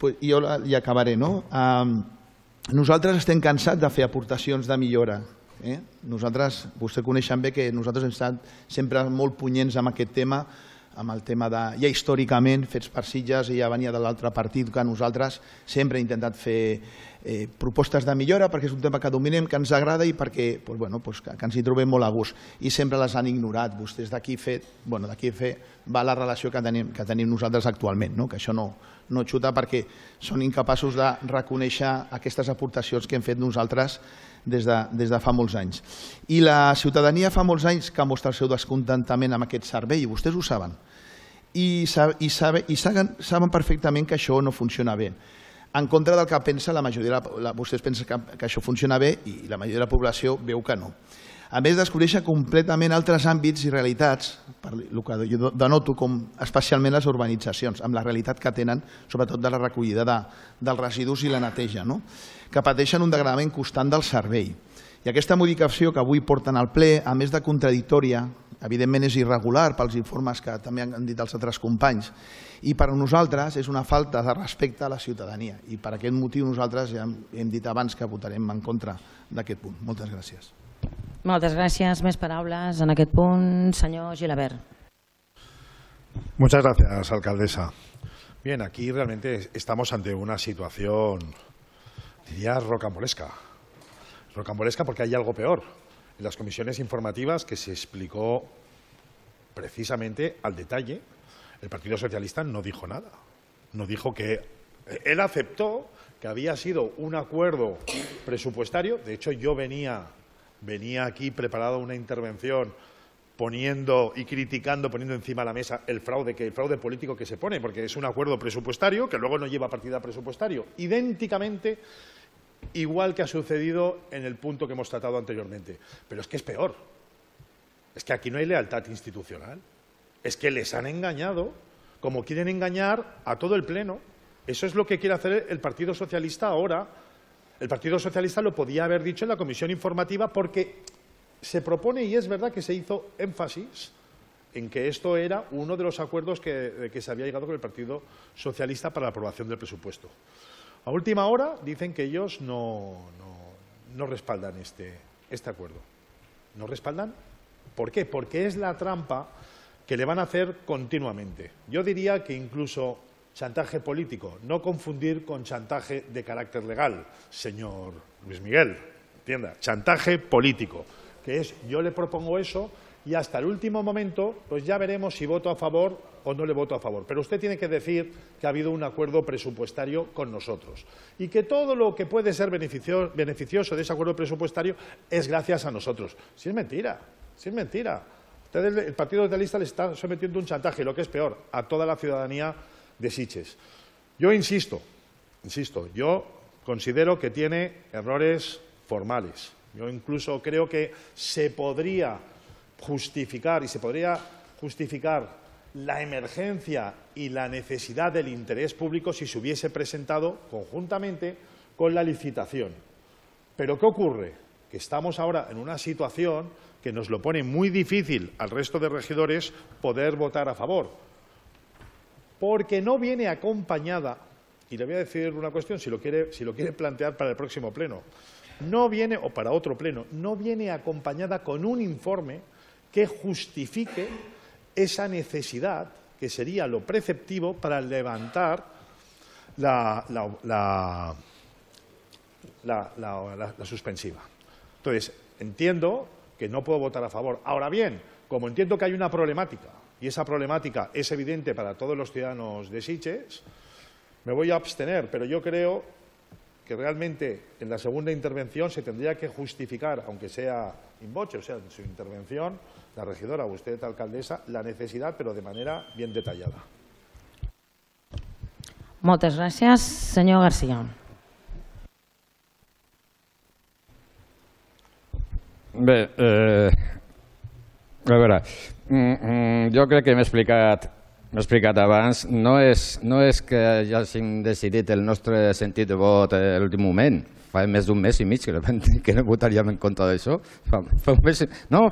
Jo hi acabaré. Nosaltres estem cansats de fer aportacions de millora. Vostè coneixen bé que nosaltres hem estat sempre molt punyents amb aquest tema, amb el tema ja històricament fets per Sitges i ja venia de l'altre partit que nosaltres sempre hem intentat fer propostes de millora perquè és un tema que dominem, que ens agrada i perquè ens hi trobem molt a gust i sempre les han ignorat. Vostès d'aquí va la relació que tenim nosaltres actualment, que això no xuta perquè són incapaços de reconèixer aquestes aportacions que hem fet nosaltres des de fa molts anys. I la ciutadania fa molts anys que mostra el seu descontentament amb aquest servei, i vostès ho saben. I saben perfectament que això no funciona bé. En contra del que pensa la majoria, vostès pensen que això funciona bé i la majoria de la població veu que no. A més, descobreixen completament altres àmbits i realitats, el que jo denoto com especialment les urbanitzacions, amb la realitat que tenen, sobretot de la recollida dels residus i la neteja, que pateixen un degradament constant del servei. I aquesta modificació que avui porten al ple, a més de contradictòria, evidentment és irregular pels informes que també han dit els altres companys, i per a nosaltres és una falta de respecte a la ciutadania. I per aquest motiu nosaltres ja hem dit abans que votarem en contra d'aquest punt. Moltes gràcies. Moltes gràcies. Més paraules en aquest punt. Senyor Gilabert. Muchas gracias, alcaldesa. Bien, aquí realmente estamos ante una situación, diría, rocambolesca. Rocambolesca porque hay algo peor. En las comisiones informativas que se explicó precisamente al detalle, el Partido Socialista no dijo nada. No dijo que... Él aceptó que había sido un acuerdo presupuestario. De hecho, yo venía aquí preparado una intervención poniendo y criticando, poniendo encima de la mesa el fraude político que se pone, porque es un acuerdo presupuestario que luego no lleva partida presupuestario, idénticamente igual que ha sucedido en el punto que hemos tratado anteriormente. Pero es que es peor. Es que aquí no hay lealtad institucional. Es que les han engañado, como quieren engañar a todo el Pleno. Eso es lo que quiere hacer el Partido Socialista ahora. El Partido Socialista lo podía haber dicho en la comisión informativa porque se propone, y es verdad que se hizo énfasis en que esto era uno de los acuerdos que se había llegado con el Partido Socialista para la aprobación del presupuesto. A última hora dicen que ellos no respaldan este acuerdo. ¿No respaldan? ¿Por qué? Porque es la trampa que le van a hacer continuamente. Yo diría que incluso chantaje político, no confundir con chantaje de carácter legal, señor Luis Miguel, entienda, chantaje político, que es yo le propongo eso y hasta el último momento pues ya veremos si voto a favor o no le voto a favor. Pero usted tiene que decir que ha habido un acuerdo presupuestario con nosotros y que todo lo que puede ser beneficioso de ese acuerdo presupuestario es gracias a nosotros. Si es mentira, si es mentira. El Partido Socialista le está sometiendo un chantaje, y lo que es peor, a toda la ciudadanía de Sitges. Yo insisto, yo considero que tiene errores formales. Yo incluso creo que se podría justificar la emergencia y la necesidad del interés público si se hubiese presentado conjuntamente con la licitación. Pero ¿qué ocurre? Que estamos ahora en una situación que nos lo pone muy difícil al resto de regidores poder votar a favor, porque no viene acompañada, y le voy a decir una cuestión, si lo quiere plantear para el próximo pleno, no viene, o para otro pleno, no viene acompañada con un informe que justifique esa necesidad, que sería lo preceptivo para levantar la suspensiva. Entonces, entiendo que no puedo votar a favor. Ahora bien, como entiendo que hay una problemática, y esa problemática es evidente para todos los ciudadanos de Sitges, me voy a abstener, pero yo creo que realmente en la segunda intervención se tendría que justificar, aunque sea in voce, o sea, en su intervención, la regidora o usted, alcaldesa, la necesidad, pero de manera bien detallada. Moltes gràcies. Senyor García. Bé, a veure, jo crec que m'he explicat abans, no és que ja hàgim decidit el nostre sentit de vot a l'últim moment, fa més d'un mes i mig que no votaríem en contra d'això. No,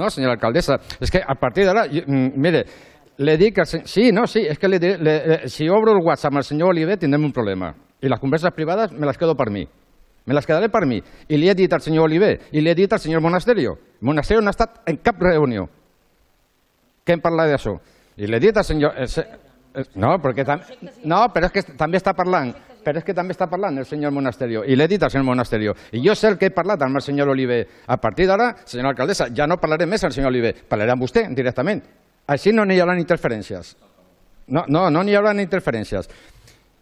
senyora alcaldessa, és que a partir d'ara, mire, le dic que sí, és que si obro el WhatsApp amb el senyor Oliver tindrem un problema i les converses privades me les quedo per mi. Me les quedaré per mi. I li he dit al senyor Oliver i li he dit al senyor Monasterio. Monasterio no ha estat en cap reunió que hem parlat d'això. I li he dit al senyor... No, però és que també està parlant. Però és que també està parlant el senyor Monasterio. I l'he dit al senyor Monasterio. I jo sé el que he parlat amb el senyor Oliver. A partir d'ara, senyora alcaldessa, ja no parlaré més al senyor Oliver. Parlaré amb vostè directament. Així no n'hi haurà interferències. No n'hi haurà interferències.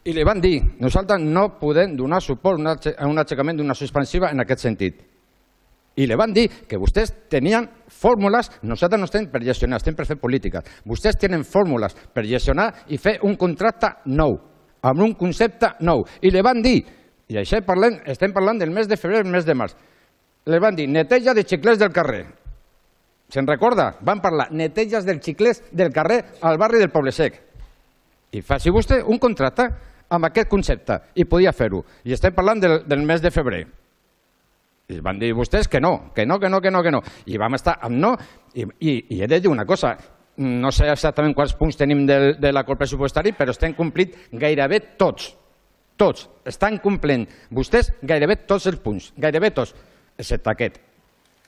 I li van dir, nosaltres no podem donar suport a un aixecament d'una suspensiva en aquest sentit. I li van dir que vostès tenien fórmules, nosaltres no estem per gestionar, estem per fer política. Vostès tenen fórmules per gestionar i fer un contracte nou, amb un concepte nou. I li van dir, i això estem parlant del mes de febrer, el mes de març, li van dir neteja de xiclets del carrer. Se'n recorda? Van parlar neteges dels xiclets del carrer al barri del Poble Sec. I faci vostè un contracte amb aquest concepte, i podia fer-ho. I estem parlant del mes de febrer. I van dir vostès que no. I vam estar amb no, i he de dir una cosa, no sé exactament quants punts tenim de l'acord pressupostari, però estem complint gairebé tots. Tots. Estan complint vostès gairebé tots els punts, gairebé tots, excepte aquest,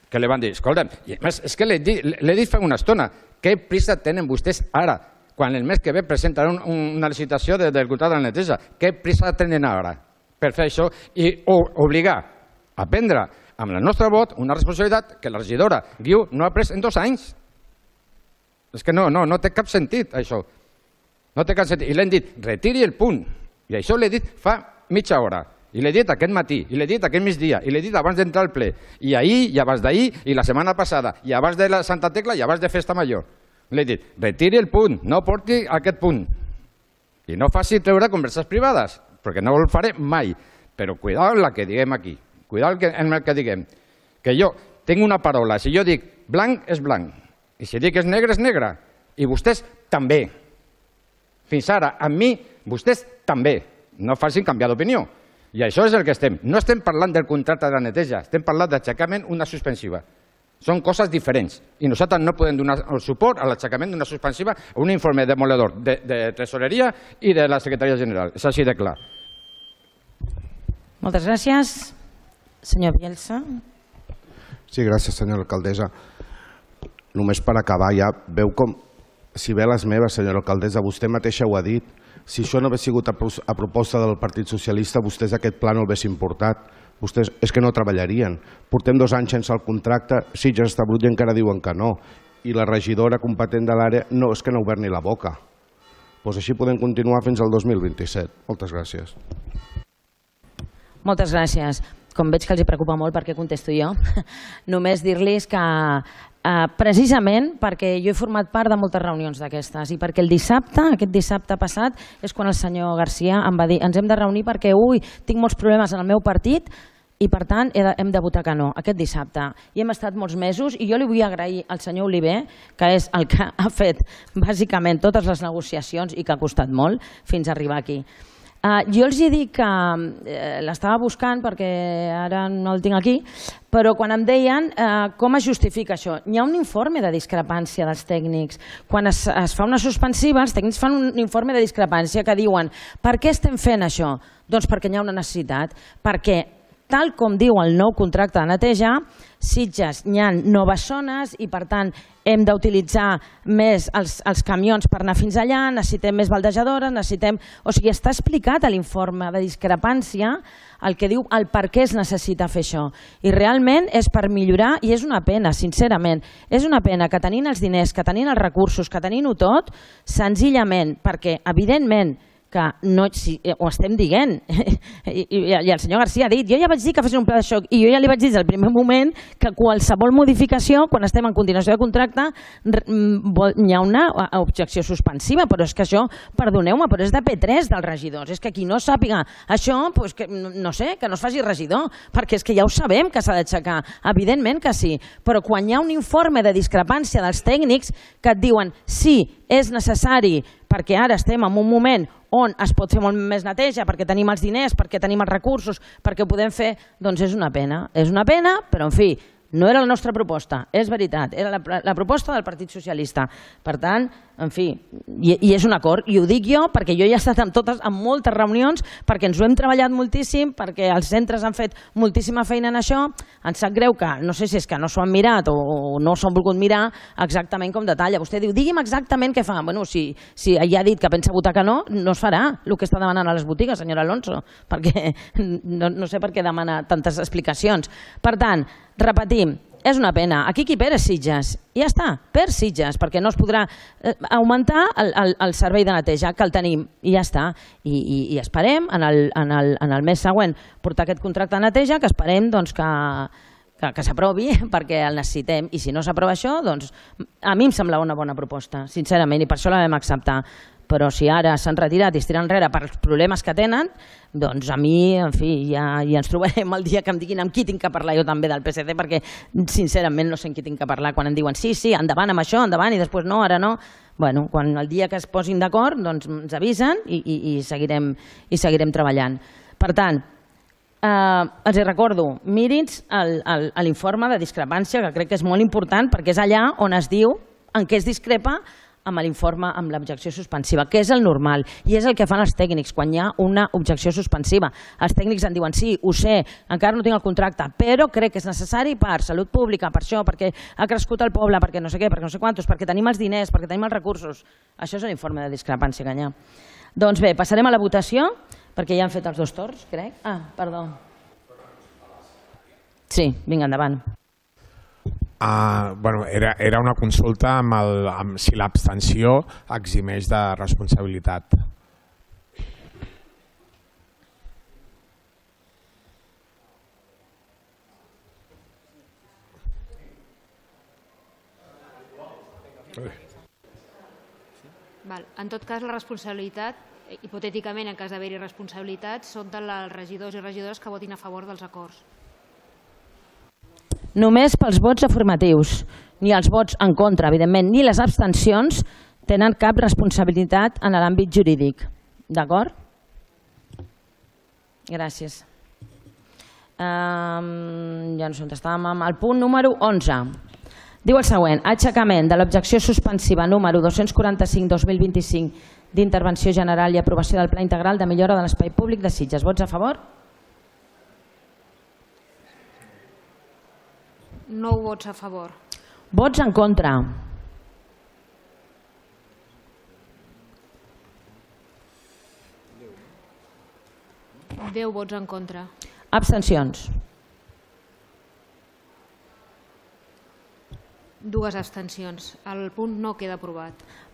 que li van dir, escolta'm, i a més, és que l'he dit fa una estona, què prisa tenen vostès ara? Quan el mes que ve presentaran una licitació del contracte de la neteja. Què prisa tenen ara per fer això i obligar a prendre amb el nostre vot una responsabilitat que la regidora Guiu no ha pres en 2 anys? És que no té cap sentit, això. No té cap sentit. I l'hem dit, retiri el punt. I això l'he dit fa mitja hora. I l'he dit aquest matí, i l'he dit aquest migdia, i l'he dit abans d'entrar al ple. I ahir, i abans d'ahir, i la setmana passada, i abans de la Santa Tecla, i abans de Festa Major. L'he dit, retiri el punt, no porti aquest punt. I no faci treure converses privades, perquè no ho faré mai. Però cuidado amb la que diguem aquí. Cuidado amb el que diguem. Que jo tinc una paraula. Si jo dic blanc, és blanc. I si dic és negre, és negre. I vostès també. Fins ara, amb mi, vostès també. No facin canviar d'opinió. I això és el que estem. No estem parlant del contracte de la neteja, estem parlant d'aixecament una suspensiva. Són coses diferents i nosaltres no podem donar el suport a l'aixecament d'una suspensiva a un informe demoledor de Tresoreria i de la Secretaria General. És així de clar. Moltes gràcies. Senyor Bielsa. Sí, gràcies, senyora alcaldessa. Només per acabar ja, veu com si ve les meves, senyora alcaldessa, vostè mateixa ho ha dit, si això no hagués sigut a proposta del Partit Socialista, vostès aquest pla no l'haguessin portat. Vostès és que no treballarien. Portem 2 anys sense el contracte, Sitges està brut i encara diuen que no. I la regidora competent de l'àrea no, és que no ha obert ni la boca. Doncs així podem continuar fins al 2027. Moltes gràcies. Moltes gràcies. Com veig que els preocupa molt perquè contesto jo, només dir-los que precisament perquè jo he format part de moltes reunions d'aquestes i perquè el dissabte, aquest dissabte passat, és quan el senyor Garcia em va dir ens hem de reunir perquè, tinc molts problemes en el meu partit i per tant hem de votar que no, aquest dissabte. I hem estat molts mesos i jo li vull agrair al senyor Oliver, que és el que ha fet bàsicament totes les negociacions i que ha costat molt fins a arribar aquí. Jo els he dit que l'estava buscant perquè ara no el tinc aquí, però quan em deien com es justifica això, hi ha un informe de discrepància dels tècnics. Quan es fa una suspensiva, els tècnics fan un informe de discrepància que diuen per què estem fent això? Doncs perquè hi ha una necessitat, perquè tal com diu el nou contracte de neteja, Sitges hi ha noves zones i per tant hem d'utilitzar més els camions per anar fins allà, necessitem més baldejadores, necessitem... O sigui, està explicat a l'informe de discrepància el que diu el per què es necessita fer això. I realment és per millorar i és una pena, sincerament, és una pena que tenint els diners, que tenint els recursos, que tenint-ho tot, senzillament, perquè evidentment que no, ho estem dient, i el senyor Garcia ha dit, jo ja vaig dir que fessin un pla de xoc i jo ja li vaig dir des del primer moment que qualsevol modificació, quan estem en continuació de contracte, hi ha una objecció suspensiva, però és que això, perdoneu-me, però és de P3 dels regidors, és que qui no sàpiga això, no sé, que no es faci regidor, perquè és que ja ho sabem que s'ha d'aixecar, evidentment que sí, però quan hi ha un informe de discrepància dels tècnics que et diuen sí, és necessari, perquè ara estem en un moment on es pot fer molt més neteja, perquè tenim els diners, perquè tenim els recursos, perquè ho podem fer, doncs és una pena. És una pena, però en fi, no era la nostra proposta, és veritat, era la proposta del Partit Socialista. Per tant, en fi, i és un acord, i ho dic jo perquè jo ja he estat en moltes reunions, perquè ens ho hem treballat moltíssim, perquè els centres han fet moltíssima feina en això. Em sap greu que, no sé si és que no s'ho han mirat o no s'ho han volgut mirar exactament com detalla. Vostè diu, digui'm exactament què fa. Bueno, si ja ha dit que pensa votar que no, no es farà el que està demanant a les botigues, senyora Alonso, perquè no sé per què demana tantes explicacions. Per tant, repetim, és una pena. Aquí qui perd és Sitges. I ja està, perd Sitges, perquè no es podrà augmentar el servei de neteja, que el tenim, i ja està. I esperem en el mes següent portar aquest contracte de neteja, que esperem que s'aprovi perquè el necessitem. I si no s'aprova això, doncs a mi em semblava una bona proposta, sincerament, i per això la vam acceptar. Però si ara s'han retirat i es tiren enrere per els problemes que tenen, doncs a mi, en fi, ja ens trobarem el dia que em diguin amb qui tinc que parlar jo també del PSC, perquè sincerament no sé amb qui tinc que parlar quan em diuen sí, endavant amb això, endavant, i després no, ara no. Bueno, quan el dia que es posin d'acord, doncs ens avisen i seguirem treballant. Per tant, els recordo, mirin l'informe de discrepància, que crec que és molt important, perquè és allà on es diu en què es discrepa amb l'informe amb l'objecció suspensiva, que és el normal i és el que fan els tècnics quan hi ha una objecció suspensiva. Els tècnics en diuen sí, ho sé, encara no tinc el contracte, però crec que és necessari per salut pública, per això, perquè ha crescut el poble, perquè no sé què, perquè no sé quantos, perquè tenim els diners, perquè tenim els recursos. Això és l'informe de discrepància que hi ha. Doncs bé, passarem a la votació, perquè ja han fet els 2 torns, crec. Ah, perdó. Sí, vinga, endavant. Era una consulta amb si l'abstenció eximeix de responsabilitat. En tot cas, la responsabilitat, hipotèticament, en cas d'haver-hi responsabilitat, són dels regidors i regidores que votin a favor dels acords. Només pels vots afirmatius, ni els vots en contra, evidentment, ni les abstencions tenen cap responsabilitat en l'àmbit jurídic. D'acord? Gràcies. Ja no sé on estàvem. El punt número 11. Diu el següent: aixecament de l'objecció suspensiva número 245/2025 d'intervenció general i aprovació del Pla Integral de Millora de l'Espai Públic de Sitges. Vots a favor? 9 vots a favor. Vots en contra? 10 vots en contra. Abstencions. 2 abstencions. El punt no queda aprovat.